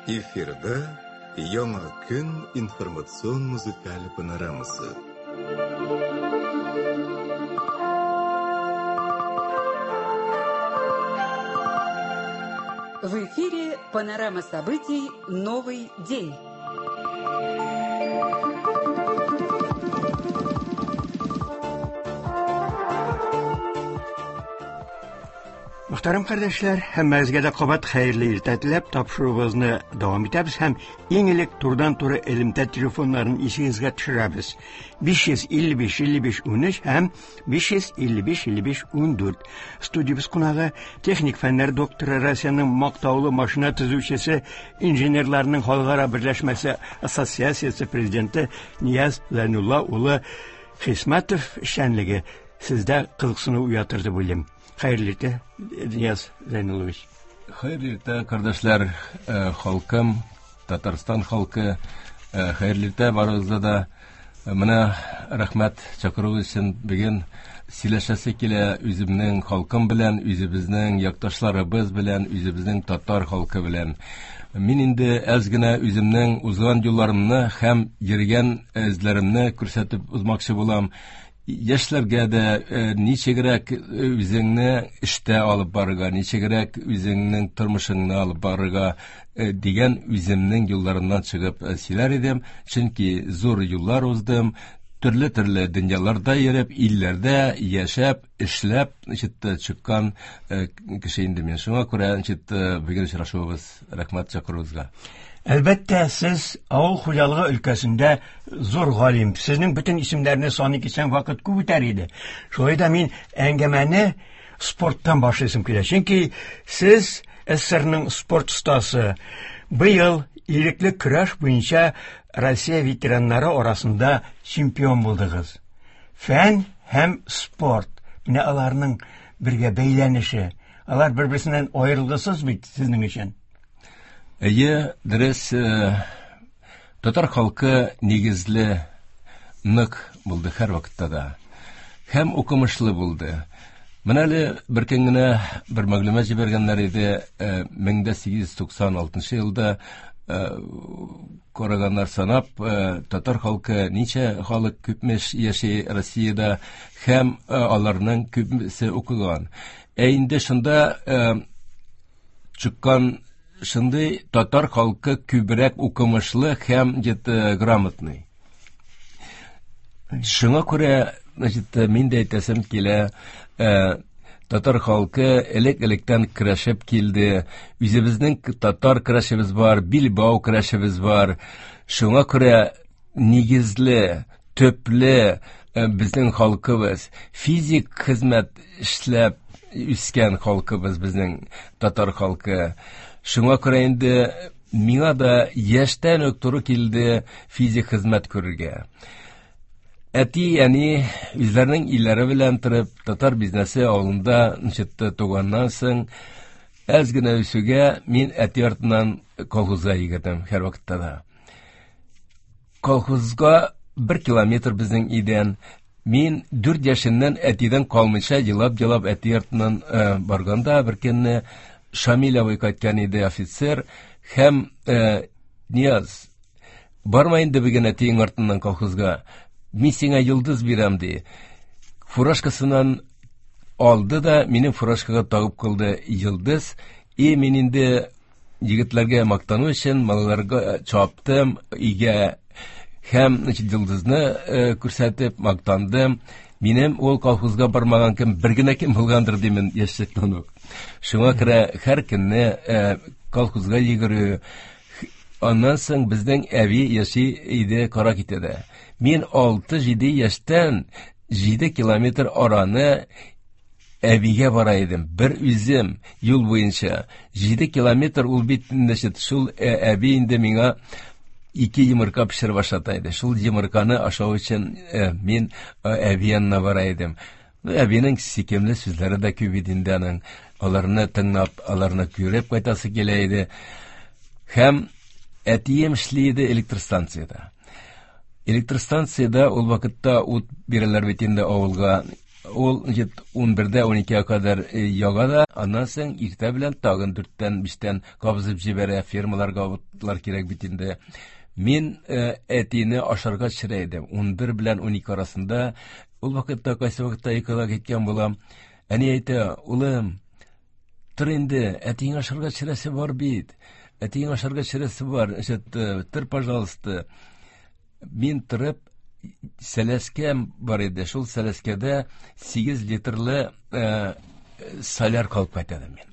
Эфирда Яңа көн информацион музыкаль панорамасы. В эфире панорама событий «Новый день». Мөхтәрәм кардәшләр, һәммәгезгә дә кабат хәерле иртә теләп тапшыруыбызны дәвам итәбез һәм иң элек турыдан-туры элемтә телефоннарын исегезгә төшерәбез. 555 55 13 һәм 555 55 14. Студиябез кунагы техник фәннәр докторы, Россиянең мактаулы машина төзүчесе, инженерларның халыкара берләшмәсе ассоциациясе президенты Нияз Зайнулла улы Хисмәтов эшчәнлеге сездә кызыксыну уятыр дип уйлыйм. Хәерле иртә, Нияз Зәйнуллович. Хәерле иртә, кардәшләр, э, халкым, Татарстан халкы. Э, хәерле иртә барыгызга да. Э, менә рәхмәт чакыру өчен бүген сөйләшәсе килә үземнең халкым белән, үзебезнең якташларыбыз белән, үзебезнең татар халкы белән. Мин инде әз генә үземнең узган юлларымны һәм йөргән эзләремне күрсәтеп узмакчы булам. Яшьләргә дә э, ничегрәк э, үзеңне эштә алып барырга, ничегрәк үзеңнең тормышыңны алып барырга э, дигән үземнең юлларымнан чыгып сөйләр идем. Чөнки зур юллар уздым, төрле-төрле дөньяларда йөреп, илләрдә яшәп, эшләп, значит, чыккан кеше инде мин. Шуңа күрә, значит, бүген очрашуыбыз, рәхмәт чакыруыгызга. Әлбәттә, сез авыл хуҗалыгы өлкәсендә зур галим. Сезнең бөтен исемнәрне саный китсәң, вакыт күп үтәр иде. Шулай да мин әңгәмәне спорттан башлыйсым килә. Чөнки сез СССРның спорт остасы. Быел ирекле көрәш буенча Россия ветераннары арасында чемпион булдыгыз. Фән һәм спорт. Менә аларның бергә бәйләнеше. Алар бер-берсеннән аерылгысыз бит сезнең өчен. Әйе, дөрес, э, татар халкы нигезле, нык булды һәрвакытта да. Һәм укымышлы булды. Менә әле бер көн генә бер мәгълүмат җибәргәннәр иде, 1896 э, елда э, караганнар санап, татар халкы ничә халык күпмеш яши Россиядә һәм аларның күпмесе укыган. Ә инде шунда чыккан шундый татар халкы күбрәк укымышлы һәм где-то грамотный. Шуңа күрә, значит, мин дә әйтәсем килә, э, татар халкы элек-электән көрәшеп килде. Үзебезнең татар көрәшебез бар, билбау көрәшебез бар. Шуңа күрә нигезле, төпле э, безнең халкыбыз, физик хезмәт эшләп үскән халкыбыз безнең татар халкы. Шуңа күрә инде миңа да яшьтән үк туры килде физик хезмәт күрергә. Әти, әни үзләренең илләре белән торып, татар бизнесе авылында ничек туганнан соң, әз генә үсүгә мин әти артыннан колхозга йөгердем һәрвакытта да. Колхозга бер километр безнең өйдән. Мин дүрт яшемнән әтидән калмыйча елап-елап әти артыннан э, барганда бер көнне Шамил абый кайткан иде офицер һәм э, Нияз, барма инде бүген әтиең артыннан колхозга. Мин сиңа йолдыз бирәм ди. Фуражкасыннан алды да минем фуражкага тагып кылды йолдыз. И мин инде Егетләргә мактану өчен малайларга чаптым өйгә һәм значит, йолдызны э, күрсәтеп мактандым. Минем ул колхозга бармаган кем бер генә кем булгандыр димен яшьлектән үк. Шуңа күрә һәр көнне э, колхозга йөгерү, аннан соң безнең әби яши иде Каракитәдә. Мин 6-7 яшьтән 7 километр араны Әбигә бара идем, бер үзем, юл буенча. 7 километр ул бит, значит, шул э, әби инде миңа ике йомырка пешереп ашата иде. Шул йомырканы ашау өчен э, мин э, әби янына бара идем. Ну, әбинең сөйкемле сүзләре дә күп иде инде аның. Аларны тыңлап, аларны күреп кайтасы килә иде. Һәм әтием эшли иде электростанциядә. Электростанциядә ул вакытта ут бирәләр бит инде авылга. Ул 11-дә 12-гә кадәр яга да, аннан соң иртә белән тагын 4-тән 5-тән кабызып җибәрә, фермаларга утлар кирәк бит инде. Мин әтине ашарга төшерә идем. 11 белән 12 арасында. Ул вакытта кайсы вакытта йокыга киткән булам. Әни әйтә: "Улым, тор инде, әтиең ашарга төшерәсе бар бит. Әтиең ашарга төшерәсе бар. Значит, тор, пожалуйста." Мин торып, сәләскәм бар иде. Шул сәләскәдә 8 литрлы соляр калып кайта идем мин.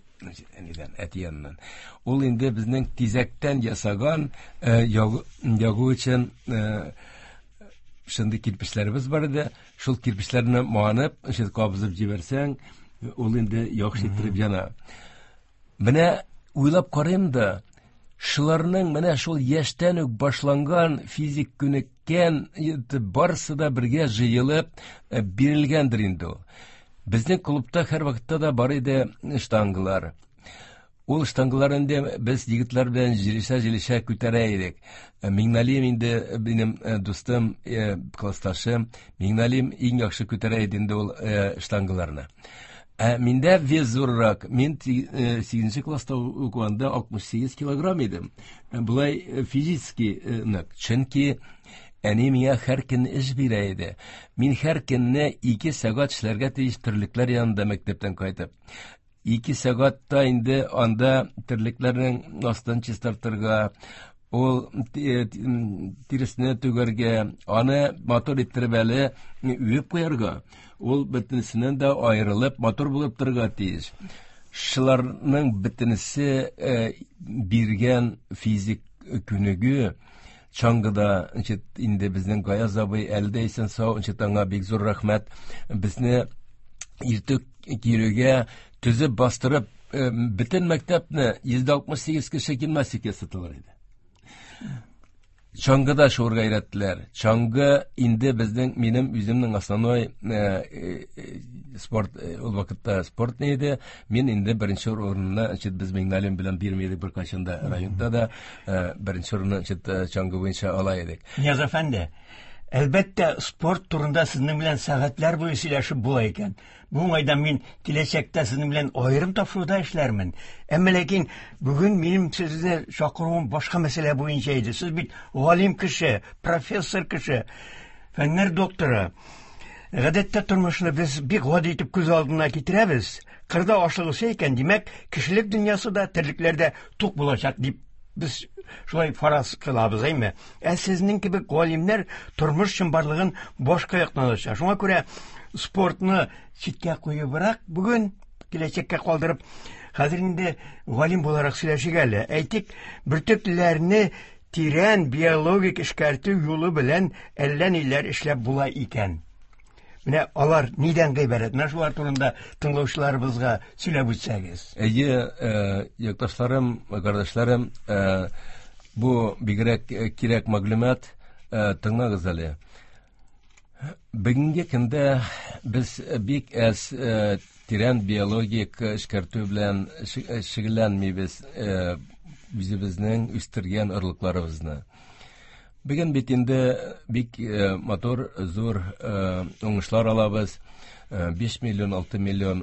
Әнидән, әти яныннан. Ул инде безнең тизәктән ясаган ягу өчен шундый кирпечләребез бар иде. Шул кирпечләрне манып, шул кабызып җибәрсәң, ул инде яхшы иттереп яна. Менә уйлап карыйм да, шуларның менә шул яшьтән үк башланган физик күнеккән барысы да бергә җыелып бирелгәндер инде ул. Безнең клубта һәр вакытта да бар иде штангалар. Ул штангалар инде без егетләр белән җилешә-җилешә күтәрә идек. Миңналим инде минем дустым, классташым, Миңналим иң яхшы күтәрә иде инде ул штангаларны. Ә миндә вес зуррак. Мин 8 класста укыганда 68 килограмм идем. Болай физически нык. Чөнки әни миңа һәр көн эш бирә иде. Мин һәр көнне 2 сәгать эшләргә тиеш терлекләр янында мәктәптән кайтып. 2 сәгатьтә инде анда терлекләрнең астын чистартырга, ул тиресне түгәргә, аны матур иттереп әле үеп куярга, ул бөтенесеннән дә аерылып, матур булып торырга тиеш. Шуларның бөтенесе биргән физик күнегү, чаңгыда, значит, инде безнең Гаяз абый әле дә исән сау, значит, аңа бик зур рәхмәт. Безне иртүк килүгә төзеп бастырып, бөтен мәктәпне 168 кеше гимнастика ясаталар иде. Чаңгыда шуырга өйрәттеләр. Чаңгы инде безнең, минем үземнең основной спорт, ул вакытта спорт ни иде. Мин инде беренче урынны, значит, без Миңналим белән бирми идек беркайчан да районда да, беренче урынны, значит, чаңгы буенча ала идек. Нияз әфәнде, әлбәттә, спорт турында сезнең белән сәгатьләр буе сөйләшеп була икән. Бу уңайдан мин киләчәктә сезнең белән аерым тапшыруда эшләрмен. Әмма ләкин бүген минем сезне чакыруым башка мәсьәлә буенча иде. Сез бит галим кеше, профессор кеше, фәннәр докторы. Гадәттә тормышны без бик гади итеп күз алдына китерәбез. Кырда ашлык үсә икән, димәк, кешелек дөньясы да, терлекләр дә тук булачак дип без шулай фараз кылабыз, әйме? Ә сезнең кебек галимнәр тормыш чынбарлыгын башка яктан ача. Шуңа күрә спортны читкә куебрак бүген киләчәккә калдырып, хәзер инде галим буларак сөйләшик әле. Әйтик, бөртекләрне тирән биологик эшкәртү юлы белән әллә ниләр эшләп була икән. Менә алар нидән гыйбарәт? Менә шулар турында тыңлаучыларыбызга сөйләп үтсәгез. Әйе, якташларым, кардәшләрем, бу бигрәк кирәк мәгълүмат, тыңлагыз әле. Бүгенге көндә без бик әз тирән биологик эшкәртү белән шөгыльләнмибез, үзебезнең үстергән орлыкларыбызны. Бүген бит инде бик матур, зур уңышлар алабыз. 5 миллион, 6 миллион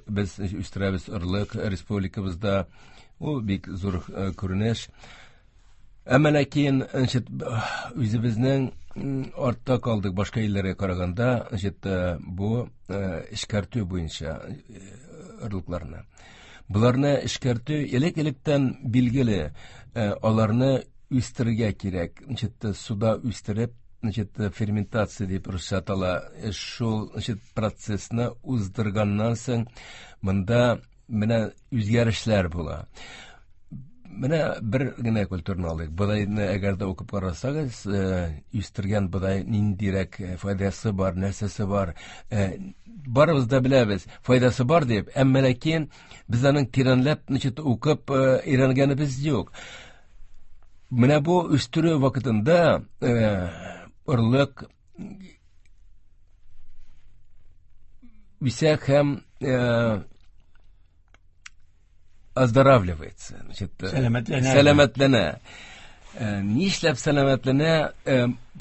без үстерәбез орлык республикабызда. Ул бик зур күренеш. Әмма ләкин, значит, үзебезнең артта калдык башка илләргә караганда, значит, бу эшкәртү буенча орлыкларны. Буларны эшкәртү элек-электән билгеле, аларны үстерергә кирәк. Значит, суда үстереп, значит, ферментация дип русча атала. Шул, значит, процессны уздырганнан соң монда менә үзгәрешләр була. Менә бер генә культураны алыйк. Бодайны әгәр дә укып карасагыз, үстергән бодай ниндирәк файдасы бар, нәрсәсе бар. Барыбыз да беләбез, файдасы бар дип, әмма ләкин без аның тирәнләп, значит, укып өйрәнгәнебез юк. Менә бу үстерү вакытында орлык үсә һәм оздоравливается. Значит, сәламәтләнә. Сәламәтләнә. Нишләп сәламәтләнә?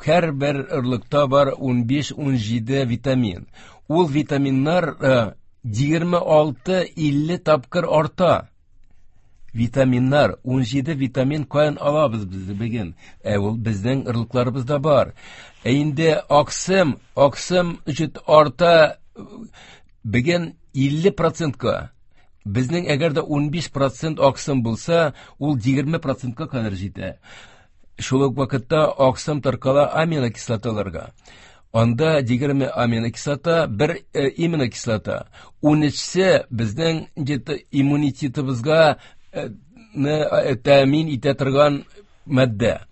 Һәрбер орлыкта бар 15-17 витамин. Ул витаминнар 26-50 тапкыр арта. Витаминнар, 17 витамин каян алабыз без бүген? Ул безнең орлыкларыбызда бар. Инде аксым, аксым өчен арта бүген 50%-ка. Безнең әгәр дә 15% аксым булса, ул 20%-ка кадәр җитә. Шул ук вакытта аксым таркала аминокислоталарга. Анда 20 аминокислота, бер иминокислота. 13-се безнең иммунитетыбызга тәэмин итә торган матдә.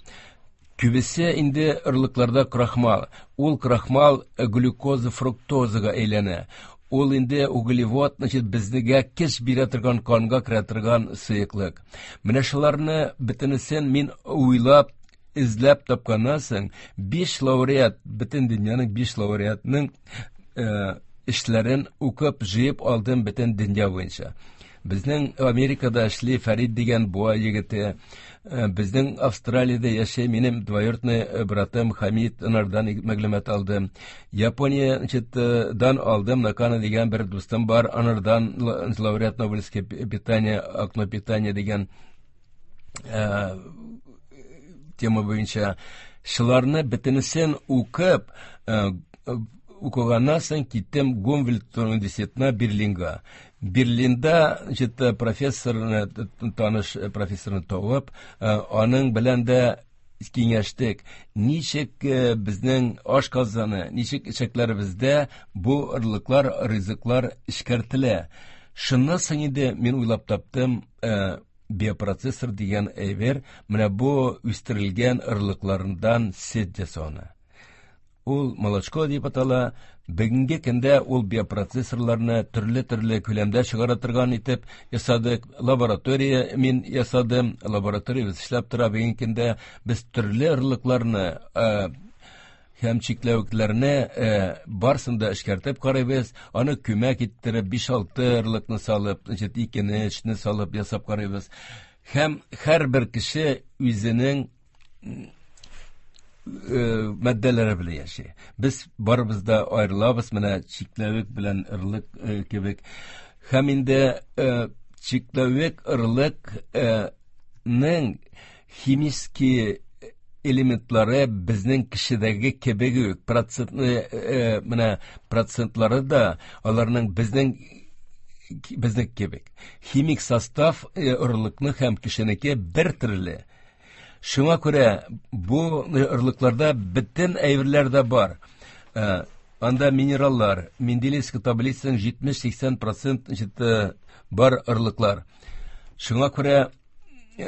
Күбесе инде орлыкларда крахмал. Ул крахмал глюкоза, фруктозага әйләнә. Ул инде углевод, значит, безгә көч бирә торган, канга керә торган сыеклык. Менә шуларны бөтенесен мин уйлап, эзләп тапканнан соң, 5 лауреат, бөтен дөньяның 5 лауреатның эшләрен укып, җыеп алдым бөтен дөнья буенча. Безнең Америкада эшли Фәрид дигән буа егете, безнең Австралиядә яшәй минем двоюродный братым Хамид, анардан мәгълүмат алдым. Япония, значит, дан алдым, Накана дигән бер дустым бар, анардан лауреат Нобелевское питание, окно питания дигән тема буенча. Шуларны бөтенесен укып, укыганнан соң киттем Гумбольдт университетына, Берлинга. Берлинда, значит, профессорны, таныш профессорны табып, аның белән дә киңәштек. Ничек безнең ашказаны, ничек эчәкләребездә бу орлыклар, ризыклар эшкәртелә. Шуннан соң инде мин уйлап таптым, биопроцессор дигән әйбер, менә бу үстерелгән орлыклардан сөт ясауны. Ул молочко дип атала. Бүгенге көндә ул биопроцессорларны төрле-төрле күләмдә чыгара торган итеп ясадык. Лаборатория мин ясадым. Лабораториябез эшләп тора. Бүгенге көндә без төрле орлыкларны һәм чикләвекләрне барысын да эшкәртеп карыйбыз. Аны күмәк иттереп, 5-6 орлыкны салып, значит, 2-не, 3-не салып ясап карыйбыз. Һәм һәрбер кеше үзенең матдәләре белән яши. Без барыбыз да аерылабыз, менә чикләвек белән орлык кебек. Һәм инде чикләвек орлыкның химический элементлары безнең кешедәге кебек үк, процентны, менә процентлары да аларның безнең кебек. Химик состав орлыкны һәм кешенеке бер төрле. Шуңа күрә бу орлыкларда бөтен әйберләр дә бар. Анда минераллар, Менделеевский таблицаның 70-80% бар орлыклар. Шуңа күрә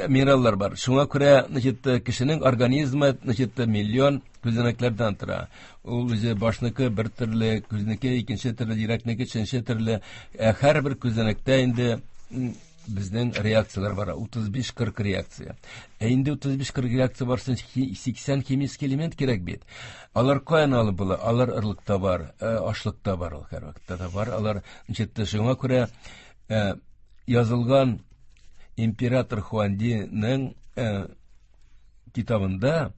минераллар бар. Шуңа күрә, значит, кешенең организмы, значит, миллион күзәнәкләрдән тора. Ул үзе башныкы бер төрле, күзнеке икенче төрле, йөрәкнеке өченче төрле. Һәрбер күзәнәктә инде безнең реакцияләр бар, 35-40 реакция. Ә инде 35-40 реакция барсын, 80 химический элемент кирәк бит. Алар каян алып була? Алар орлыкта бар, ашлыкта бар, ул һәр вакытта да бар. Алар, значит, шуңа күрә язылган император Хуандиның китабында,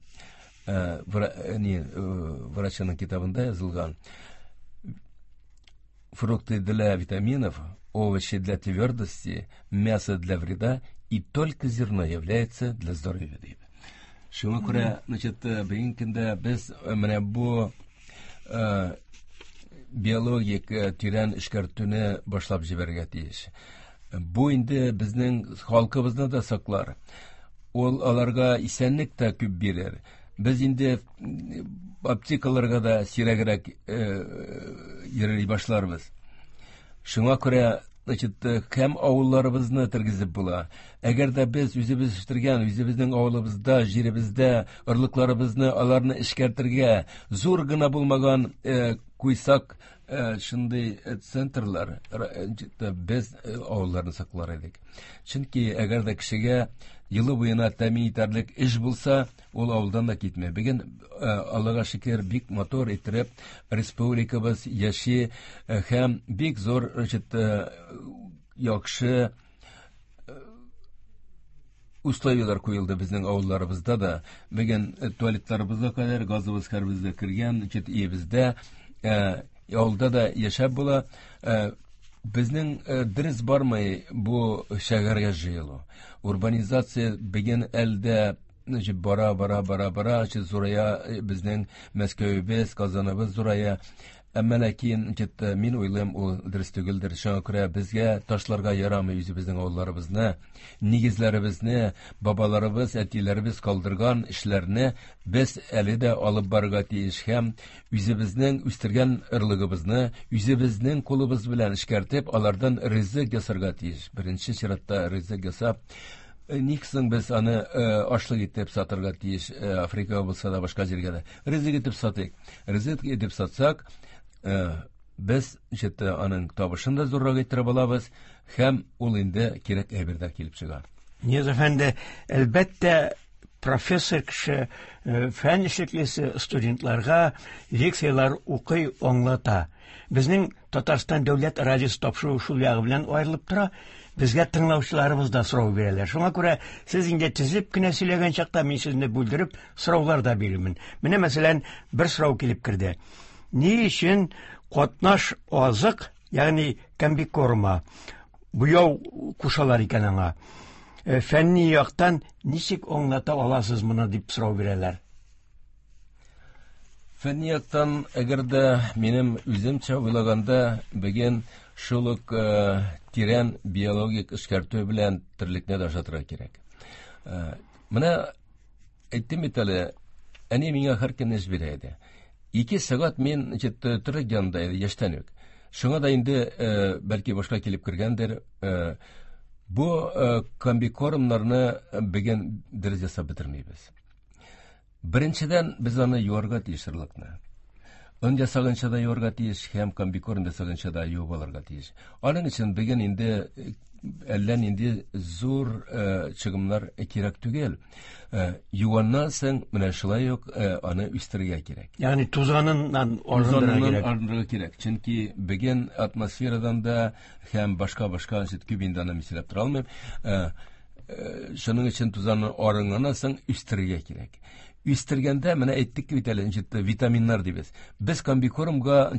врачының китабында язылган: фрукты для витаминов, овощи для твердости, мясо для вреда и только зерно является для здоровья, дип. Шуңа күрә, значит, бүгенге көндә без менә бу биологик тирән эшкәртүне башлап җибәрергә тиеш. Бу инде безнең халкыбызны да саклар. Ул аларга исәнлек тә күп бирер. Без инде аптекаларга да сирәгрәк йөри башларбыз. Шуңа күрә, значит, һәм авылларыбызны тергезеп була. Әгәр дә без үзебез үстергән, үзебезнең авылыбызда, җиребездә орлыкларыбызны, аларны эшкәртергә зур гына булмаган куйсак шундый центрлар, без авылларны саклар идек. Чөнки әгәр дә кешегә елы буена тәэмин итәрлек эш булса, ул авылдан да китми. Бүген, Аллага шөкер, бик матур иттереп республикабыз яши һәм бик зур, значит, яхшы условияләр куелды безнең авылларыбызда да. Бүген туалетларыбызга кадәр газыбыз һәрберебезгә кергән, значит, өебездә. Авылда да яшәп була. Безнең дөрес бармый бу шәһәргә җыелу. Урбанизация бүген әлдә бара, бара, бара, бара, зурая безнең Мәскәвебез, Казаныбыз зурая. Әмма ләкин мин уйлыйм, ул дөрес түгелдер. Шуңа күрә безгә ташларга ярамый үзебезнең авылларыбызны, нигезләребезне, бабаларыбыз, әтиләребез калдырган эшләрне без әле дә алып барырга тиеш һәм үзебезнең үстергән ырлыгыбызны үзебезнең кулыбыз белән эшкәртеп, алардан ризык ясарга тиеш. Беренче чиратта ризык ясап, ник соң без аны ашлык итеп сатырга тиеш, Африкага булса да, башка җиргә дә. Ризык итеп сатыйк. Ризык итеп сатсак, без аның табышын да зуррак иттереп алабыз һәм ул инде кирәк әйбер дә килеп чыга. Нияз әфәнде, әлбәттә, профессор кеше, фән эшлеклесе студентларга лекцияләр укый, аңлата. Безнең Татарстан дәүләт радиосы тапшыруы шул ягы белән аерылып тора. Безгә тыңлаучыларыбыз да сорау бирәләр. Шуңа күрә сез инде тезеп кенә сөйләгән чакта мин сезне бүлдереп сораулар да бирермен. Менә мәсәлән, бер сорау килеп керде. Ни өчен катнаш азык, ягъни комбикорма, буяу кушалар икән аңа? Фәнни яктан ничек аңлата аласыз моны дип сорау бирәләр. Фәнни яктан, әгәр дә минем үземчә уйлаганда, бүген шул ук тирән биологик эшкәртү белән терлекне дә ашатырга кирәк. Менә әйттем бит әле, әни миңа һәр көн эш бирә иде. 2 сәгать мин терлек янында иде, яшьтән үк. Шуңа да инде бәлки башка килеп кергәндер. Бу комбикормнарны бүген дөрес ясап бетермибез. Беренчедән, без аны юарга тиеш орлыкны. Он ясаганча да юарга тиеш һәм комбикорм ясаганча да юып алырга тиеш. Аның өчен бүген инде әллә нинди зур чыгымнар кирәк түгел. Юганнан соң менә шулай ук аны үстерергә кирәк. Ягъни тузаныннан арындырырга кирәк. Арындырырга кирәк. Чөнки бүген атмосферадан да һәм башка-башка күп инде аны мисаллап тора алмыйм. Шуның өчен тузанны арынганнан соң үстерергә кирәк. Үстергәндә менә әйттек бит әле, витаминнар дибез. Без комбикормга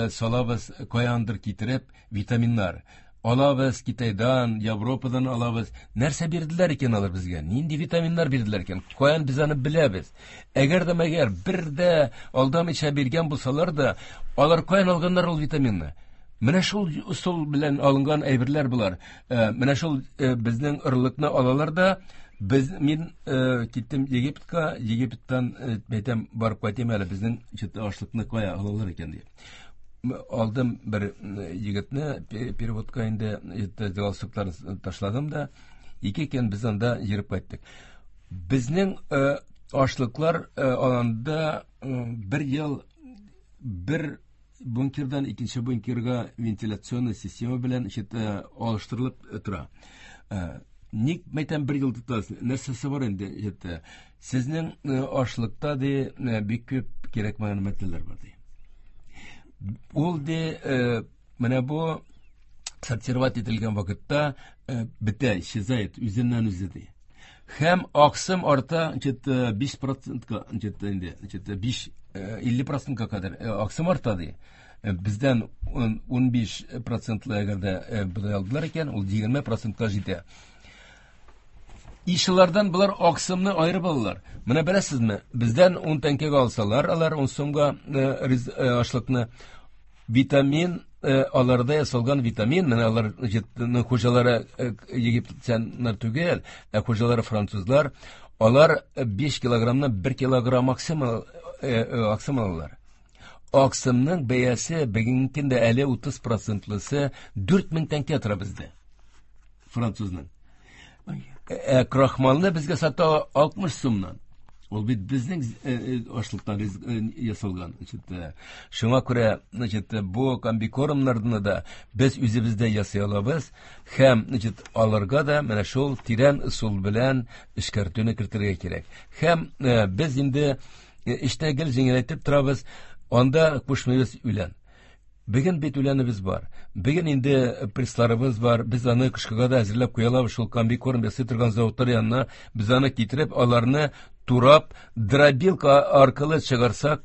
салабыз, каяндыр китереп витаминнар. Алабыз Китайдан, Европадан алабыз. Нәрсә бирделәр икән алар безгә? Нинди витаминнар бирделәр икән? Каян без аны беләбез? Әгәр дә мәгәр бер дә алдамыйча биргән булсалар да, алар каян алганнар ул витаминны? Менә шул ысул белән алынган әйберләр болар. Менә шул безнең орлыкны алалар да, мин киттем Египетка, Египеттан әйтәм, барып кайтыйм әле, безнең ашлыкны кая алалар икән дип. Алдым бер егетне, переводка инде галстукларын ташладым да, 2 көн без анда йөреп кайттык. Безнең ашлыклар аланда бер ел бер бункердан икенче бункерга вентиляционный система белән алыштырылып тора. Ник мәйтәм бер ел тотасыз? Нәрсәсе бар инде? Сезнең ашлыкта ди бик күп кирәкмәгән матдәләр бар ди. Ул ди менә бу сортировать ителгән вакытта бетә, исчезает үзеннән үзе ди. Һәм аксым арта, 5%-ка, инде, биш, илле процентка кадәр аксым арта ди. Бездән 15 процентлы әгәр дә бодай алдылар икән, ул егерме процентка җитә. Ишелардан болар аксымны аерып алалар. Менә беләсезме, бездән 10 тәңкәгә алсалар, алар 10 сумга ашлыкны, витамин, аларда ясалган витамин, менә алар хуҗалары египтяннар түгел, ә хуҗалары французлар, алар 5 килограммнан 1 килограмм аксым алалар. Аксымның бәясе бүгенге көндә әле утыз процентлысы 4000 тәңкә тора бездә, французның. Крахмалны безгә сата 60 сумнан. Ул бит безнең ашлыктан ясалган. Шуңа күрә, бу комбикормнарны да без үзебездә ясый алабыз һәм, аларга да менә шул тирән ысул белән эшкәртүне кертергә кирәк. Һәм без инде эштә гел җиңеләйтеп торабыз, анда кушмыйбыз үлән. Бүген бит үләнебез бар. Бүген инде прессларыбыз бар. Без аны кышкыга да әзерләп куя алабыз. Шул комбикорм ясый торган заводлар янына без аны китереп, аларны турап, дробилка аркылы чыгарсак,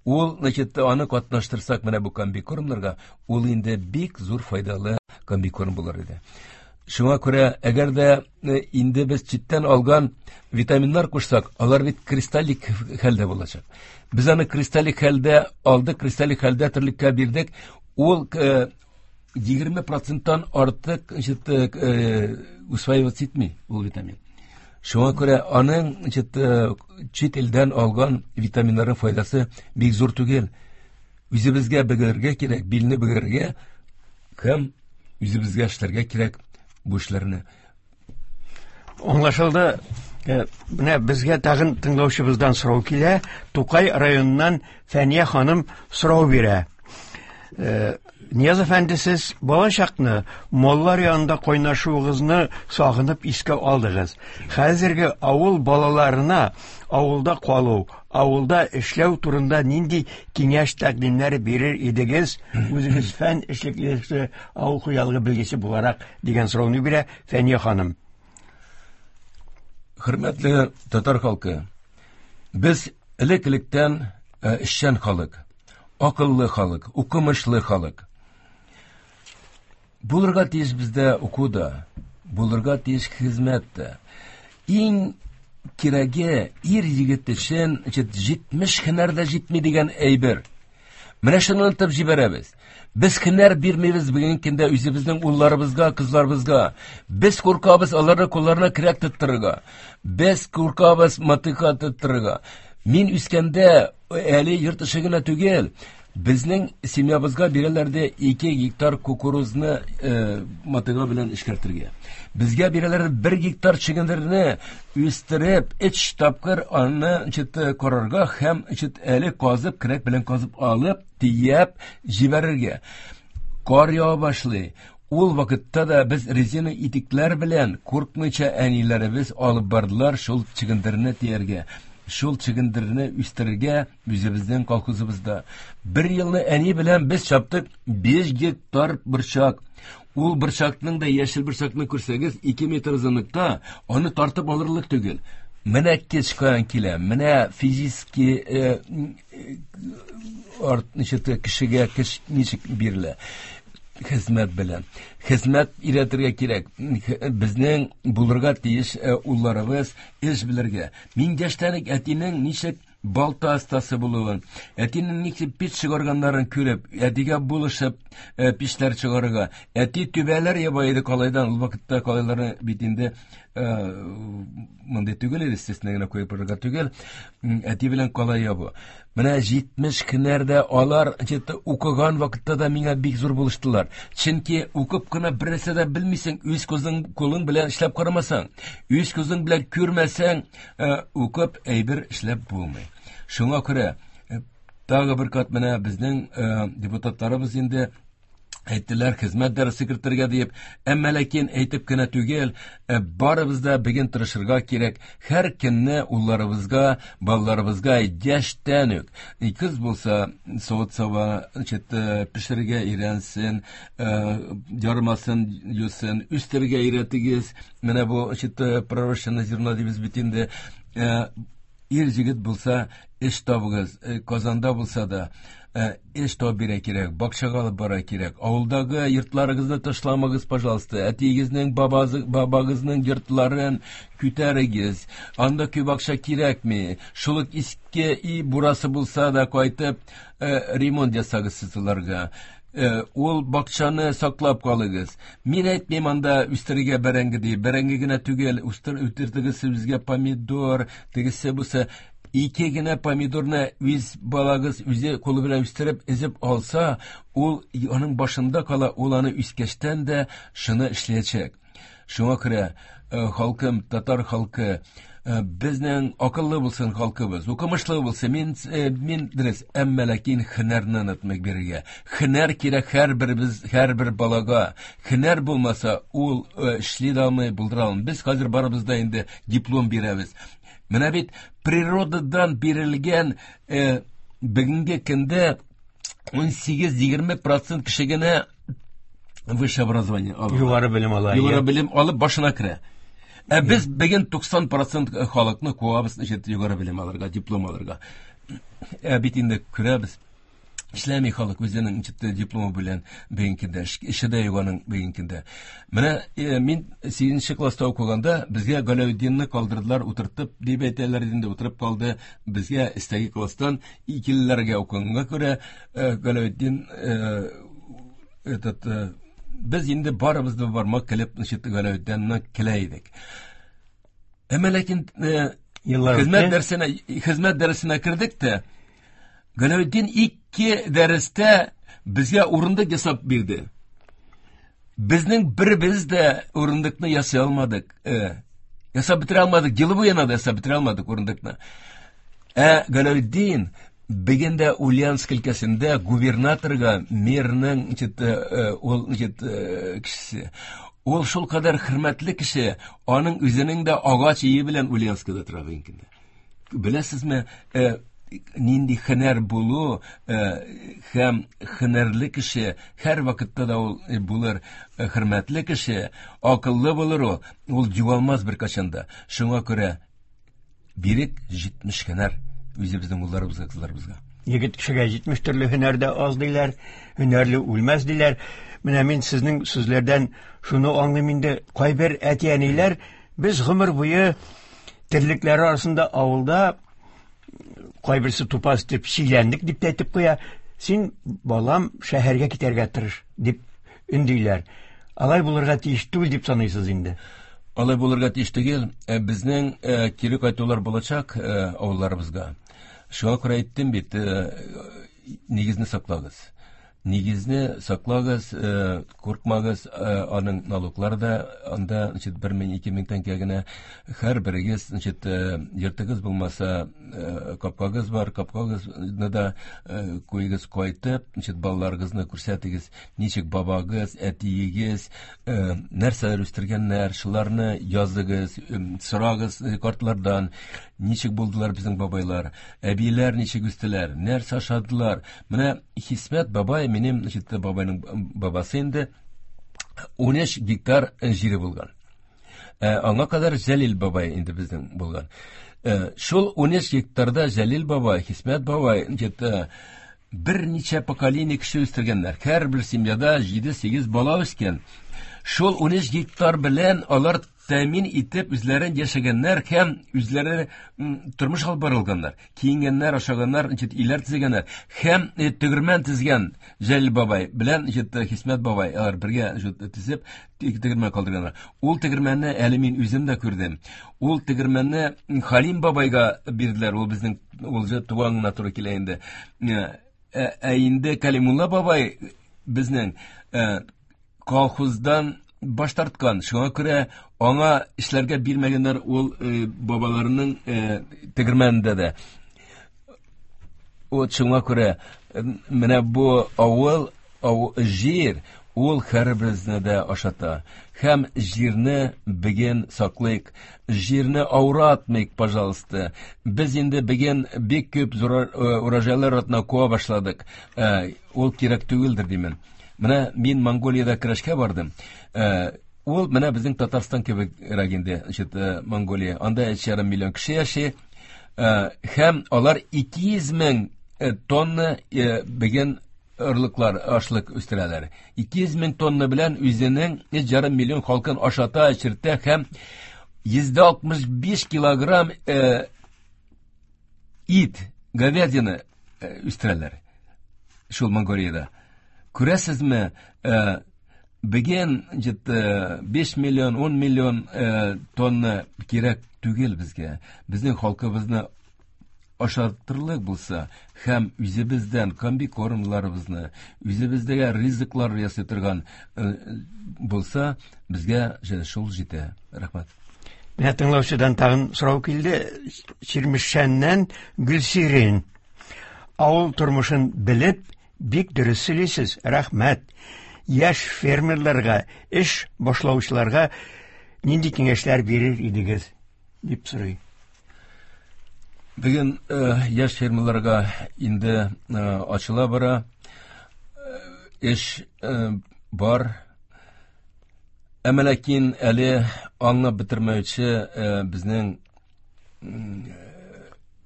Ул, значит, аны катнаштырсак менә бу комбикормнарга, ул инде бик зур файдалы комбикорм булыр иде. Шуңа күрә, әгәр дә инде без читтән алган витаминнар кушсак, алар бит кристаллик хәлдә булачак. Без аны кристаллик хәлдә алдык, кристаллик хәлдә терлеккә бирдек. Ул 20%-тан артык, значит, усваиваться итми ул витамин. Шуңа күрә аның, значит, чит илдән алган витаминнарның файдасы бик зур түгел. Үзебезгә бөгәргә кирәк, билне бөгәргә һәм үзебезгә эшләргә кирәк бу эшләрне. Аңлашылды. Менә безгә тагын тыңлаучыбыздан сорау килә. Тукай районыннан Фәния ханым сорау бирә. Нияз әфәнде, сез балачакны маллар янында кайнашуыгызны сагынып искә алдыгыз. Хәзерге авыл балаларына авылда калу, авылда эшләү турында нинди киңәш тәкъдимнәре бирер идегез? Үзегез фән эшлеклесе, авыл хуҗалыгы белгече буларак дигән сорауны бирә Фәния ханым. Хөрмәтле татар халкы, без элек-электән эшчән халык, акыллы халык, укымышлы халык. Булырга тиеш бездә уку да, булырга тиеш хезмәт тә. Иң кирәге ир егет өчен 70 һөнәр дә җитми дигән әйбер. Менә шуны онытып җибәрәбез. Без һөнәр бирмибез бүгенге көндә үзебезнең улларыбызга, кызларыбызга. Без куркабыз аларны кулларына көрәк тоттырырга. Без куркабыз мотыка тоттырырга. Мин үскәндә әле йорт эше генә түгел, безнең семьябызга бирәләр дә 2 гектар кукурузны мотыга белән эшкәртергә. Безгә бирәләр 1 гектар чөгендерне үстереп, 3 тапкыр аны карарга һәм әле казып, көрәк белән казып алып, төяп җибәрергә. Кар ява башлый. Ул вакытта да без резина итекләр белән куркмыйча әниләребез алып бардылар шул чөгендерне төяргә, шул чөгендерне үстерергә үзебезнең колхозыбызда. Бер елны әни белән без чаптык 5 гектар борчак. Ул борчакның да яшел борчакны күрсәгез, 2 метр озынлыкта, аны тартып алырлык түгел. Менә кич каян килә, менә физически кешегә көч ничек бирелә. Хезмәт белән. Хезмәт өйрәтергә кирәк. Безнең булырга тиеш улларыбыз эш белергә. Мин яшьтән үк әтинең ничек балта остасы булуын, әтинең ничек пич чыгарганнарын күреп, әтигә булышып пичләр чыгарырга. Әти түбәләр яба иде калайдан. Ул вакытта калайларны бит инде мондый түгел иде, естественно генә куеп барырга түгел. Әти белән калай ябу. Менә 70 көннәрдә алар укыган вакытта да миңа бик зур булыштылар. Чөнки укып кына бер нәрсә дә белмисең, үз күзең кулың белән эшләп карамасаң, үз күзең белән күрмәсәң, укып әйбер эшләп булмый. Шуңа күрә тагы бер кат менә безнең депутатларыбыз инде әйттеләр хезмәт дәресе кертергә диеп, әмма ләкин әйтеп кенә түгел, барыбыз да бүген тырышырга кирәк. Һәр көнне улларыбызга, балаларыбызга яшьтән үк, кыз булса, савыт-саба пешерергә өйрәнсен, ярмасын юсын, үстерергә өйрәтегез. Менә бу пророщенное зерно дибез бит инде. Ир җегет булса, эш табыгыз, Казанда булса да, эш табып бирә кирәк, бакчага алып бара кирәк. Авылдагы йортларыгызны ташламагыз, пожалуйста. Әтиегезнең, бабагызның йортларын күтәрегез. Анда күп акча кирәкми. Шул ук иске и бурасы булса да кайтып, ремонт ясагыз сез аларга. Ул бакчаны саклап калыгыз. Мин әйтмим анда үстерергә бәрәңге дип. Бәрәңге генә түгел, үстердегез сезгә помидор, тегесе бусы. Ике генә помидорны үз балагыз үзе кулы белән үстереп, өзеп алса, ул аның башында кала, ул аны үскәчтән дә шуны эшләячәк. Шуңа күрә, халкым, татар халкы, безнең акыллы булсын халкыбыз, укымышлы булсын, мин дөрес, әмма ләкин һөнәрне онытмыйк бирергә. Һөнәр кирәк һәрбер балага. Һөнәр булмаса, ул эшли дә алмый, булдыра алмый. Без хәзер барыбыз да инде диплом бирәбез. Менә бит природадан бирелгән бүгенге көндә 18-20 процент кеше генә высшее образование ала. Югары белем ала. Югары белем алып башына керә. Ә без бүген 90% халыкны куабыз, югары белем алырга, диплом алырга. Ә бит инде күрәбез, эшләми халык үзенең дипломы белән бүгенге көндә, эше дә юк аның бүгенге көндә. Менә мин 8 класста укыганда безгә Галәветдинне калдырдылар, утыртып дип әйтәләр инде, утырып калды. Безгә өстәге класстан икелеләргә укыганга күрә Галәветдин этот без инде барыбыз да бармак килеп, значит, Галәветдинне килә идек. Әмма ләкин хезмәт дәресенә кердек тә, Галәветдин 2 дәрестә безгә урындык ясап бирде. Безнең беребез дә урындыкны ясый алмадык. Ясап бетерә алмадык, елы буена да ясап бетерә алмадык урындыкны. Ә Галәветдин бүген дә Ульяновск өлкәсендә губернаторга мэрның, ул, кешесе. Ул шул кадәр хөрмәтле кеше, аның үзенең дә агач өе белән Ульяновскида тора бүгенге көндә. Беләсезме, нинди һөнәр булу һәм һөнәрле кеше һәр вакытта да ул булыр хөрмәтле кеше, акыллы булыр ул, ул югалмас беркайчан да. Шуңа күрә бирек 70 һөнәр үзебезнең улларыбызга, кызларыбызга. Егет кешегә 70 төрле һөнәр дә аз диләр, һөнәрле үлмәс диләр. Менә мин сезнең сүзләрдән шуны аңлыйм инде, кайбер әти-әниләр без гомер буе терлекләр арасында авылда кайберсе тупас дип сөйләндек дип тә әйтеп куя. Син, балам, шәһәргә китәргә тырыш дип өндиләр. Алай булырга тиеш түгел дип саныйсыз инде. Алай булырга тиеш түгел. Безнең кире кайтулар булачак авылларыбызга. Шуңа күрә әйттем бит, нигезне саклагыз. Нигезне саклагыз, куркмагыз, аның налоглары да анда, значит, 1000, 2000 тәңкә генә. Һәр берегез, значит, йортыгыз булмаса, капкагыз бар, капкагызны да куегыз кайтып, значит, балаларыгызны күрсәтегез, ничек бабагыз, әтиегез, нәрсәләр үстергәннәр, шуларны языгыз, сорагыз картлардан, ничек булдылар безнең бабайлар, әбиләр ничек үстеләр, нәрсә ашадылар. Менә Хисмәт бабай, минем, значит, бабайның бабасы инде 13 гектар җире булган. Аңа кадәр Җәлил бабай инде безнең булган. Шул 13 гектарда Җәлил бабай, Хисмәт бабай, значит, берничә поколение кеше үстергәннәр. Һәрбер семьяда 7-8 бала үскән. Шул 13 гектар белән алар тәэмин итеп үзләрен яшәгәннәр һәм үзләре тормыш алып барылганнар. Киенгәннәр, ашаганнар, значит, өйләр төзегәннәр. Һәм тегермән төзегән Җәлил бабай белән, значит, Хисмәт бабай, алар бергә, значит, төзеп, тегермән калдырганнар. Ул тегермәнне әле мин үзем дә күрдем. Ул тегермәнне Халим бабайга бирделәр. Ул безнең, ул же туганына туры килә инде. Ә инде Калимулла бабай безнең колхоздан баш тарткан. Шуңа күрә аңа эшләргә бирмәгәннәр ул бабаларының тегермәнендә дә. Вот шуңа күрә менә бу авыл, җир, ул һәрберебезне дә ашата. Һәм җирне бүген саклыйк, җирне ауратмыйк, пожалуйста. Без инде бүген бик күп урожайлар артына куа башладык. Ул кирәк түгелдер димен. Менә мин Монголиядә көрәшкә бардым. Ул менә безнең Татарстан кебегрәк инде, значит, Монголия. Анда өч ярым миллион кеше яши. Һәм алар 200 мең тонна бүген орлыклар, ашлык үстерәләр. 200 мең тонна белән үзенең өч ярым миллион халкын ашата, эчертә һәм 165 килограмм ит, говядина үстерәләр. Шул Монголиядә. Күрәсезме, бүген җитте 5 миллион, 10 миллион тонна кирәк түгел безгә. Безнең халкыбызны ашатырлык булса һәм үзебездән комбикормларыбызны, үзебездәге ризыклар ясый торган булса, безгә шул җитә. Рәхмәт. Менә тыңлаучыдан тагын сорау килде. Чирмешәннән Гөлсирин. Авыл тормышын белеп, бик дөрес сөйлисез. Рәхмәт. Яшь фермерларга, эш башлаучыларга нинди киңәшләр бирер идегез? Дип сорый. Бүген яшь фермерларга инде ачыла бара. Эш бар. Әмма ләкин әле аңлап бетермәүче безнең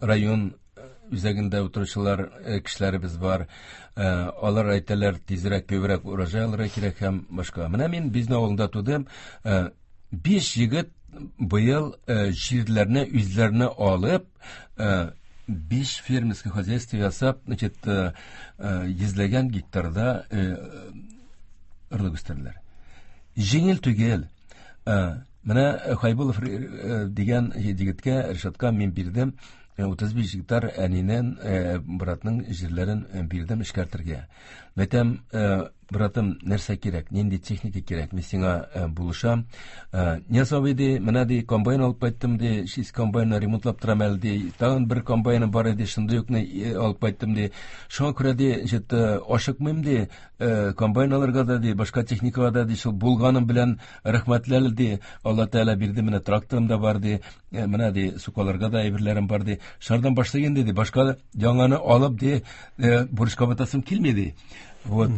район үзәгендә утыручылар кешеләребез бар. Алар әйтәләр, тизрәк, күбрәк урожай алырга кирәк һәм башка. Менә мин Бизнә авылында тудым. 5 егет быел җирләрне үзләренә алып, 5 фермерский хозяйство ясап, значит, йөзләгән гектарда орлык үстерделәр. Җиңел түгел. Менә Хайбулов дигән егеткә, Ришатка мин бирдем 35 гектар әнинең, братның җирләрен бирдем эшкәртергә. Мәйтәм, братым, нәрсә кирәк, нинди техника кирәк, мин сиңа булышам. Нияз абый, ди, менә, ди, комбайн алып кайттым, ди, шиз комбайнны ремонтлап торам әле, ди, тагын бер комбайным бар иде, шундый укны алып кайттым, ди. Шуңа күрә, ди, значит, ашыкмыйм, ди, комбайн алырга да, ди, башка техникага да, ди, шул булганым белән рәхмәтле әле, ди, Алла Тәгалә бирде, менә тракторым да бар, ди, менә, ди, сукаларга да әйберләрем бар, ди. Шардан башлыйм инде, ди, башка яңаны алып, ди, бурычка батасым килми, ди. Вот.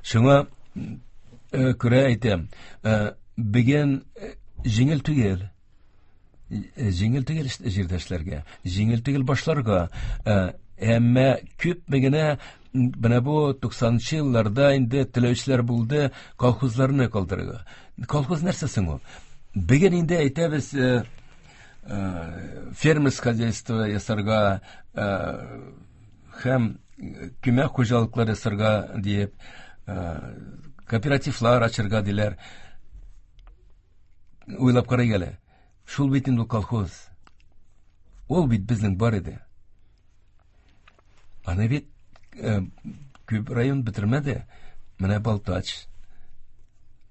Шуңа күрә әйтәм, бүген җиңел түгел. Җиңел түгел җирдә эшләргә, җиңел түгел башларга. Әмма күпме генә менә бу 90нчы елларда инде теләүчеләр булды колхозларны калдырырга. Колхоз нәрсә соң ул? Бүген инде әйтәбез, фермерское хозяйство ясарга һәм күмәк хуҗалыклар ясарга диеп, кооперативлар ачырга диләр. Уйлап карыйк әле. Шул бит инде колхоз. Ул бит безнең бар иде. Аны бит күп район бетермәде. Менә Балтач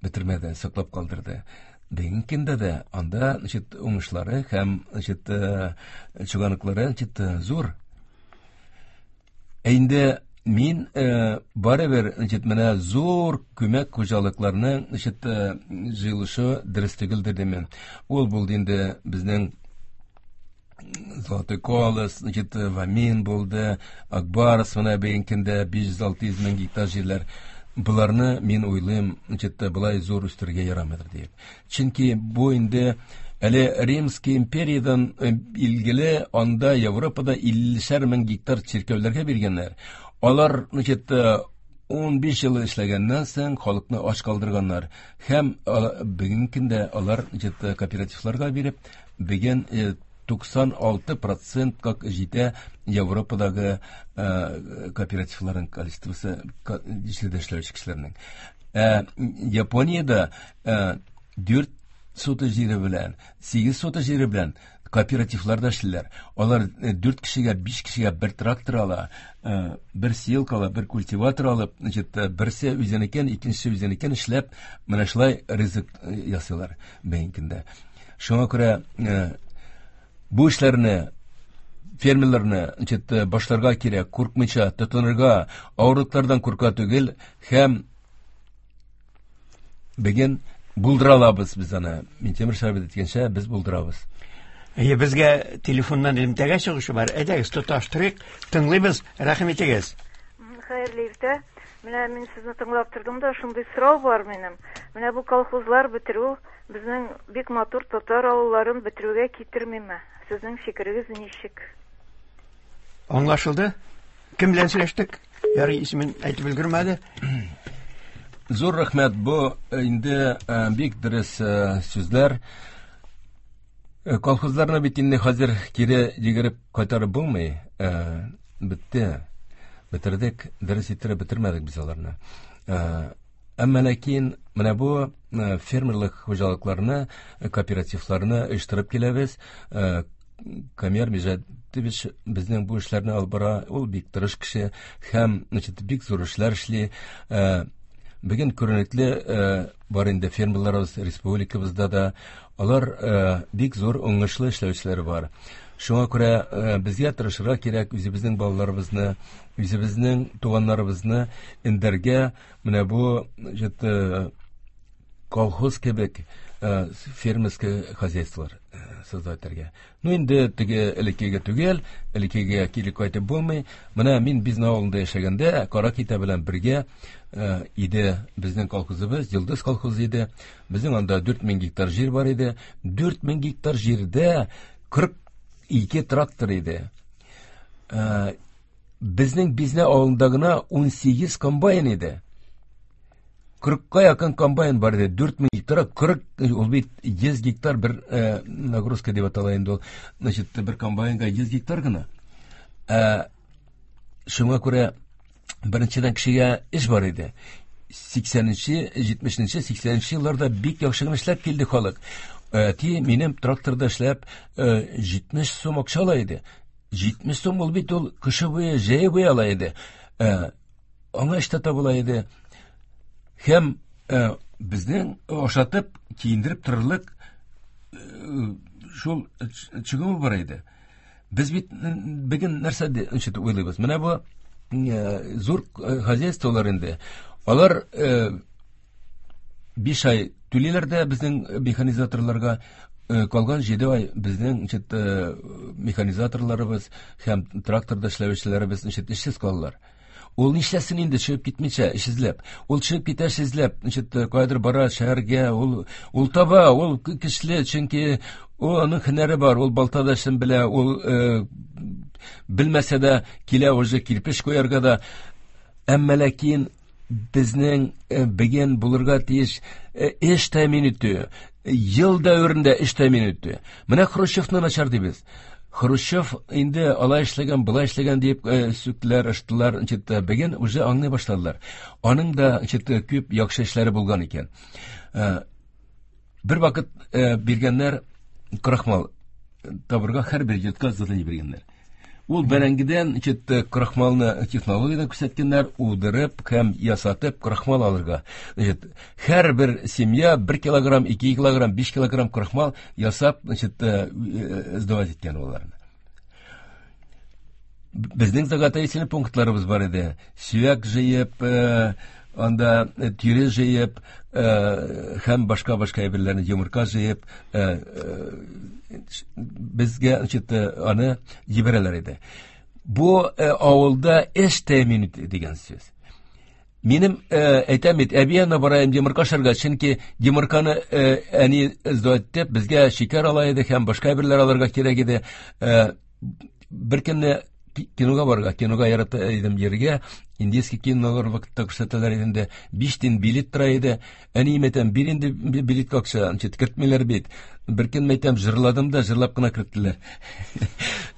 бетермәде, саклап калдырды. Бүгенге көндә дә анда, значит, уңышлары һәм, значит, чыганаклары, значит, зур. Ә инде мин барыбер, значит, менә зур күмәк хуҗалыкларның, значит, җыелышы дөрес түгелдер дим. Ул булды инде безнең Золотой колос, значит, Вамин булды, Акбарс, менә бүгенге көндә 500-600 мең гектар җирләр. Буларны мин уйлыйм, значит, болай зур үстерергә ярамыйдыр дип. Чөнки бу инде әле Римский империядан билгеле, анда Европада 50 мең гектар чиркәүләргә биргәннәр. Алар, значит, 15 ел эшләгәннән соң халыкны ач калдырганнар. Һәм бүгенге көндә алар, значит, кооперативларга биреп, бүген 96% как җитә Европадагы кооперативларның количествосы җирдә эшләүче кешеләрнең. Япониядә 4 сота җире белән, 8 сота җире белән кооперативлар да эшлиләр. Алар 4 кешегә, 5 кешегә бер трактор ала, бер сеялка ала, бер культиватор алып, значит, берсе үзенекен, икенчесе үзенекен эшләп, менә шулай ризык ясыйлар бүгенге көндә. Шуңа күрә бу эшләрне фермерларны, значит, башларга кирәк, куркмыйча тотынырга, авырлыклардан курка түгел һәм бүген булдыра алабыз без аны. Минтимер Шәрәфов әйткәнчә, без булдырабыз. Әйе, безгә телефоннан элемтәгә чыгышы бар. Әйдәгез, тоташтырыйк, тыңлыйбыз, рәхим итегез. Хәерле иртә. Менә мин сезне тыңлап тордым да, шундый сорау бар минем. Менә бу колхозлар бетерү безнең бик матур татар авылларын бетерүгә китермиме? Сезнең фикерегез ничек? Аңлашылды? Кем белән сөйләштек? Ярый, исемен әйтеп өлгермәде. Зур рәхмәт. Бу инде бик дөрес сүзләр. Колхозларны бит инде хәзер кире йөгереп кайтарып булмый. Бетте. Бетердек, дөрес иттереп бетермәдек без аларны. Әмма ләкин менә бу фермерлык хуҗалыкларны, кооперативларны оештырып киләбез. Камияр Мижатович безнең бу эшләрне алып бара. Ул бик тырыш кеше һәм, значит, бик зур эшләр эшли. Бүген күренекле бар инде фермерларыбыз республикабызда да. Алар бик зур уңышлы эшләүчеләр бар. Шуңа күрә безгә тырышырга кирәк, үзебезнең балаларыбызны, үзебезнең туганнарыбызны эндәргә, менә бу, значит, колхоз кебек фермерский хозяйстволар создать итәргә. Ну инде теге элеккеге түгел, элеккегә кире кайтып булмый. Менә мин Бизнә авылында яшәгәндә Каракитә белән бергә иде безнең колхозыбыз, Йолдыз колхозы иде. Безнең анда 4000 гектар җир бар иде. 4000 гектар җирдә 42 трактор иде. Безнең Бизнә авылында гына 18 комбайн иде. 40-ка якын комбайн бар иде. 4000 гектар, 40, ул бит 100 гектар бер нагрузка дип атала инде ул. Значит, бер комбайнга 100 гектар гына. Шуңа күрә беренчедән кешегә эш бар иде. 80-нче, 70-нче, 80-нче елларда бик яхшы гына эшләп килде халык. Әти минем тракторда эшләп 70 сум акча ала иде. 70 сум ул бит ул кышы буе, җәе буе ала иде. Аңа эш тә табыла иде. Һәм безнең ашатып, киендереп торырлык шул чыгымы бар иде. Без бит бүген нәрсә ничек уйлыйбыз? Менә бу зур хозяйстволар инде. Алар 5 ай түлиләр дә безнең механизаторларга, калган 7 ай безнең ничек механизаторларыбыз һәм тракторда эшләүчеләребез ничек эшсез калалар. Ул нишләсен инде чыгып китмичә, эш эзләп. Ул чыгып китә эш эзләп, ничек кайдыр бара шәһәргә, ул таба, ул көчле, чөнки ул аның һөнәре бар, ул балта да эшен белә, ул белмәсә дә килә уже кирпеч куярга да. Әмма ләкин безнең бүген булырга тиеш эш тәэмин итү, ел дәверендә эш тәэмин итү. Менә Хрущевны начар дибез. Хрущев инде алай эшләгән, былай эшләгән дип сүктеләр, ыштылар, ничек бүген уже аңлый башладылар. Аның да ничек күп яхшы эшләре булган икән. Бер вакыт биргәннәр крахмал табырга һәрбер йортка задание биргәннәр. Ул бәрәңгедән ничек крахмалны технологиядән күрсәткәннәр, удырып һәм ясатып крахмал алырга. Значит, һәрбер семья 1 килограмм, 2 килограмм, 5 килограмм крахмал ясап, значит, сдавать иткән аларны. Безнең заготовительный пунктларыбыз бар иде. Сөяк җыеп, анда тире җыеп, һәм башка-башка әйберләрне, йомырка җыеп, безгә, значит, аны җибәрәләр иде. Бу авылда эш тәэмин итү дигән сүз. Минем әйтәм бит, әби янына бараем йомырка ашарга, чөнки йомырканы әни сдавать итеп, безгә шикәр ала иде һәм башка әйберләр алырга кирәк иде. Бер көнне кинога барырга, кинога ярата идем йөрергә, индийский кинолар вакытта күрсәтәләр иде инде, 5 тиен билет тора иде. Әнием әйтәм, бир инде билетка акча, ничек кертмиләр бит. Бер көн әйтәм, җырладым да, җырлап кына керттеләр.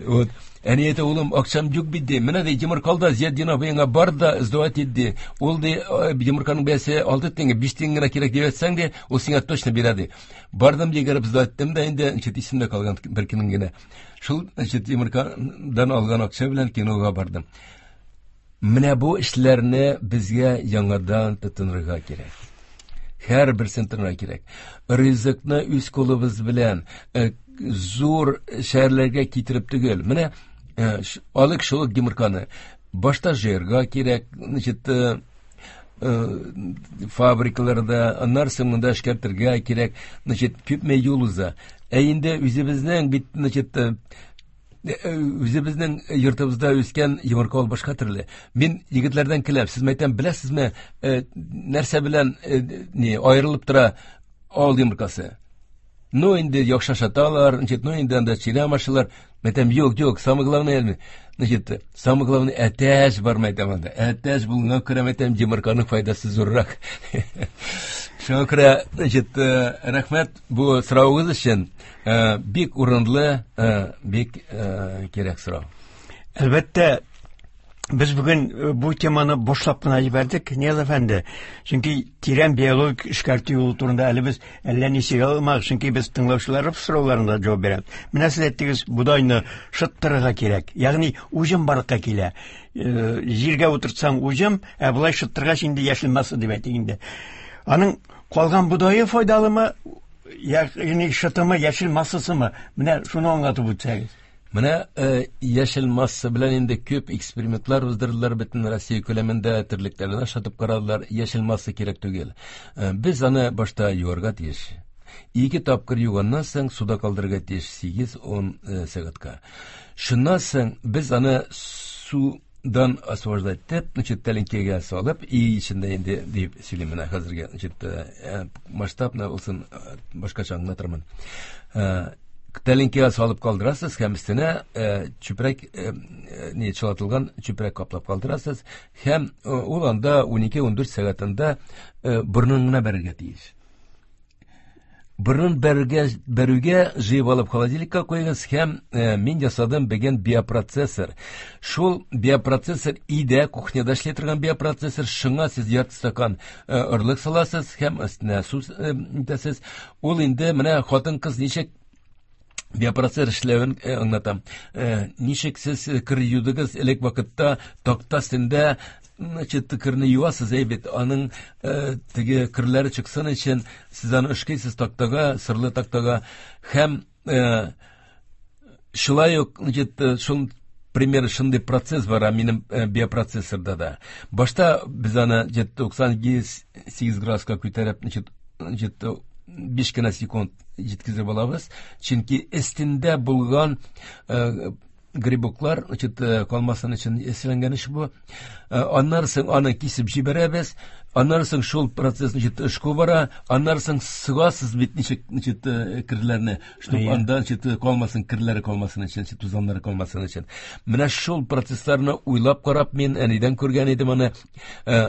Вот. Әни әйтә, улым, акчам юк бит ди. Менә ди, йомырка ал да, Зиятдин абыеңа бар да, сдавать ит ди. Ул ди, йомырканың бәясе 6 тиңгә, 5 тиң генә кирәк дип әйтсәң ди, ул сиңа точно бирә ди. Бардым, йөгереп сдавать иттем дә инде, ничек исемдә калган бер көнем генә. Шул, значит, йомыркадан алган акча белән кинога бардым. Менә бу эшләрне безгә яңадан тотынырга кирәк. Һәр берсен тотынырга кирәк. Ризыкны үз кулыбыз белән зур шәһәрләргә китереп түгел. Менә алык шул йомырканы. Башта җыярга кирәк, значит, фабрикаларда, аннары соң монда эшкәртергә кирәк, значит, күпме юл уза. Ә инде үзебезнең бит, значит, үзебезнең йортыбызда үскән йомырка ул башка төрле. Мин егетләрдән көләм, сез мәйтәм, беләсезме, нәрсә белән ни аерылып тора авыл йомыркасы? Ну инде яхшы ашаталар, значит, ну инде анда чирәм ашалар. Мәйтәм, юк, юк, самое главное, значит, самое главное, әтәч бар, мәйтәм анда. Әтәч булганга күрә, мәйтәм, йомырканың файдасы зуррак. Шуңа күрә, значит, рәхмәт бу соравыгыз өчен. Бик урынлы, бик кирәк сорау. Әлбәттә, без бүген бу теманы башлап кына җибәрдек, Нияз әфәнде. Чөнки тирән биологик эшкәртү юлы турында әле без әллә ни сөйли алмадык, чөнки без тыңлаучылар сорауларына җавап бирәбез. Менә сез әйттегез, бодайны шыттырырга кирәк. Ягъни уҗым барлыкка килә. Җиргә утыртсаң уҗым, ә болай шыттыргач инде яшел масса дип әйтик инде. Аның калган бодае файдалымы, ягъни шытымы, яшел массасымы? Менә шуны аңлатып үтсәгез. Менә яшел масса белән инде күп экспериментлар уздырдылар бөтен Россия күләмендә, терлекләрне ашатып карадылар. Яшел масса кирәк түгел. Без аны башта юарга тиеш. 2 тапкыр юганнан соң суда калдырырга тиеш 8-10 сәгатькә. Шуннан соң без аны судан освобождать итеп, значит, тәлинкәгә салып, и эчендә инде дип сөйлим менә хәзергә, значит, масштабно булсын, башкача аңлатырмын. Тәлинкәгә салып калдырасыз һәм өстенә чүпрәк, не чылатылган чүпрәк каплап калдырасыз һәм ул анда 12-14 сәгатендә борынын гына бәрергә тиеш. Борынын бәрүгә җыеп алып холодильникка куегыз һәм мин ясадым бүген биопроцессор. Шул биопроцессор өйдә, кухняда эшли торган биопроцессор, шуңа сез ярты стакан орлык саласыз һәм өстенә су итәсез. Ул инде менә хатын-кыз ничек биопроцессор эшләвен аңлатам. Ничек сез кер юдыгыз элек вакытта такта өстендә, значит, керне юасыз, әйбәт, аның теге керләре чыксын өчен сез аны ышкыйсыз тактага, сырлы тактага һәм шулай ук, значит, шул пример шундый процесс бар минем биопроцессорда да. Башта без аны 98 градуска күтәреп, значит, 5 кенә секунд җиткезеп алабыз, чөнки өстендә булган грибоклар, значит, калмасын өчен эшләнгән эш бу. Аннан соң аны кисеп җибәрәбез, аннан соң шул процесс, значит, эшкә бара, аннан соң сыгасыз бит ничек, значит, керләрне, чтобы анда, значит, калмасын, керләре калмасын өчен, значит, тузаннары калмасын өчен. Менә шул процессларны уйлап карап, мин әнидән күргән идем аны,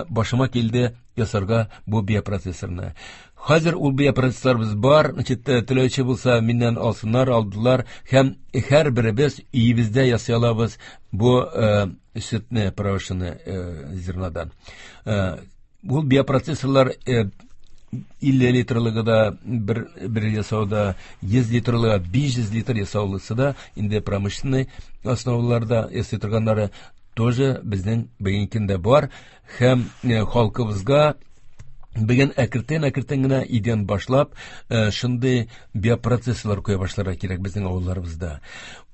башыма килде ясарга бу биопроцессорны. Хәзер ул биопроцессорыбыз бар, значит, теләүче булса миннән алсыннар, алдылар һәм һәрберебез өебездә ясый алабыз бу сөтне, порошины зернодан. Ул биопроцессорлар 50 литрлыгы да бер ясауда, 100 литрлыгы, 500 литр ясаулысы да инде промышленный основаларда ясый торганнары тоже безнең бүгенге көндә бар һәм халкыбызга бүген әкертен-әкертен генә идән башлап, шундый биопроцессорлар куя башларга кирәк безнең авылларыбызда.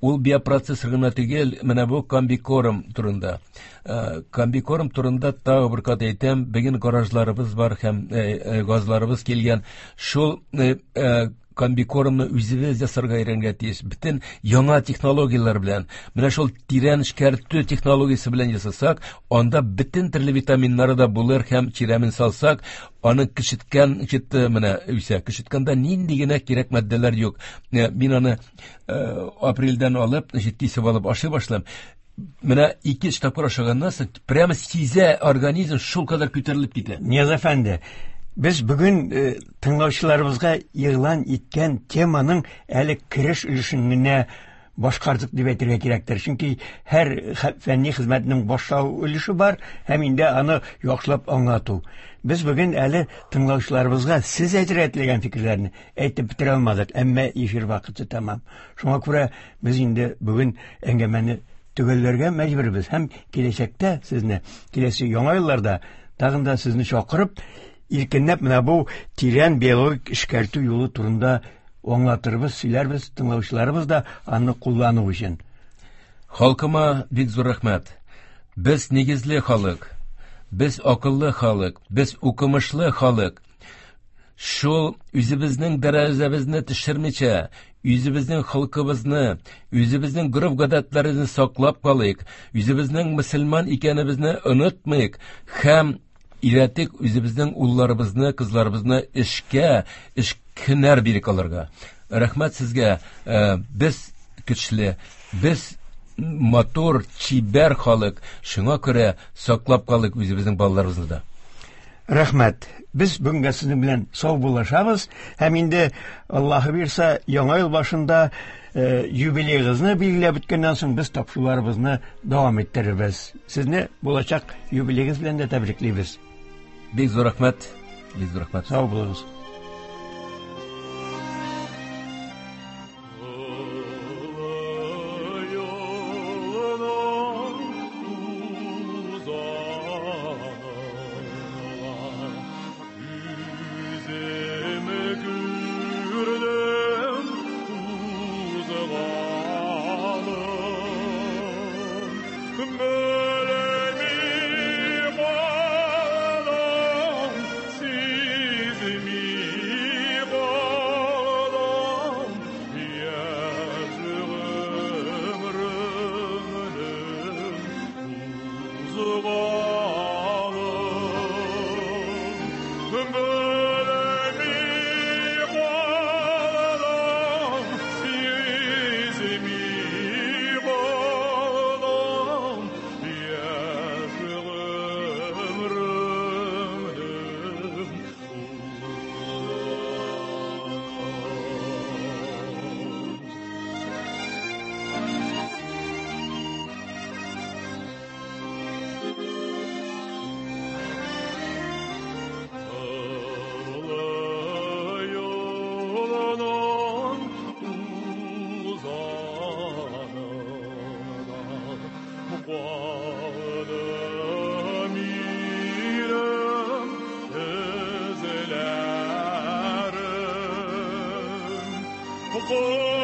Ул биопроцессор гына түгел, менә бу комбикорм турында. Комбикорм турында тагы бер кат әйтәм, бүген гаражларыбыз бар һәм газларыбыз килгән. Шул комбикормны үзебез ясарга өйрәнергә тиеш. Бөтен яңа технологияләр белән, менә шул тирән эшкәртү технологиясе белән ясасак, анда бөтен төрле витаминнары да булыр һәм чирәмен салсак, аны кешеткән, менә үсә. Кешеткәндә нинди генә кирәк матдәләр юк. Мин аны апрельдән алып, кисеп алып ашый башлыйм. Менә 2-3 тапкыр ашаганнан соң прямо сизә организм шул кадәр күтәрелеп китә. Нияз әфәнде, без бүген тыңлаучыларыбызга игълан иткән теманың әле кереш өлешен генә башкардык дип әйтергә кирәктер. Чөнки һәр фәнни хезмәтнең башлау өлеше бар һәм инде аны яхшылап аңлату. Без бүген әле тыңлаучыларыбызга сез әйтергә теләгән фикерләрне әйтеп бетерә алмадык, әмма эфир вакыты тәмам. Шуңа күрә без инде бүген әңгәмәне төгәлләргә мәҗбүрбез һәм киләчәктә сезне, киләсе яңа елларда тагын да сезне чакырып, иркенләп менә бу тирән биологик эшкәртү юлы турында аңлатырбыз, сөйләрбез, тыңлаучыларыбыз да аны куллану өчен. Халкыма бик зур рәхмәт. Без нигезле халык, без акыллы халык, без укымышлы халык. Шул үзебезнең дәрәҗәбезне төшермичә, үзебезнең халкыбызны, үзебезнең гореф-гадәтләребезне саклап калыйк, үзебезнең мөселман икәнебезне онытмыйк һәм өйрәтик үзебезнең улларыбызны, кызларыбызны эшкә, эш һөнәр бирик аларга. Рәхмәт сезгә. Без көчле, без матур, чибәр халык. Шуңа күрә саклап калыйк үзебезнең балаларыбызны да. Рәхмәт. Без бүгенгә сезнең белән сау булашабыз һәм инде Аллаһы бирсә, яңа ел башында юбилеегызны билгеләп үткәннән соң без тапшыруларыбызны дәвам иттерербез. Сезне булачак юбилеегыз белән дә тәбриклибез. Бик зур рәхмәт. Бик зур рәхмәт. Сау булыгыз. Siz mi? Хокук.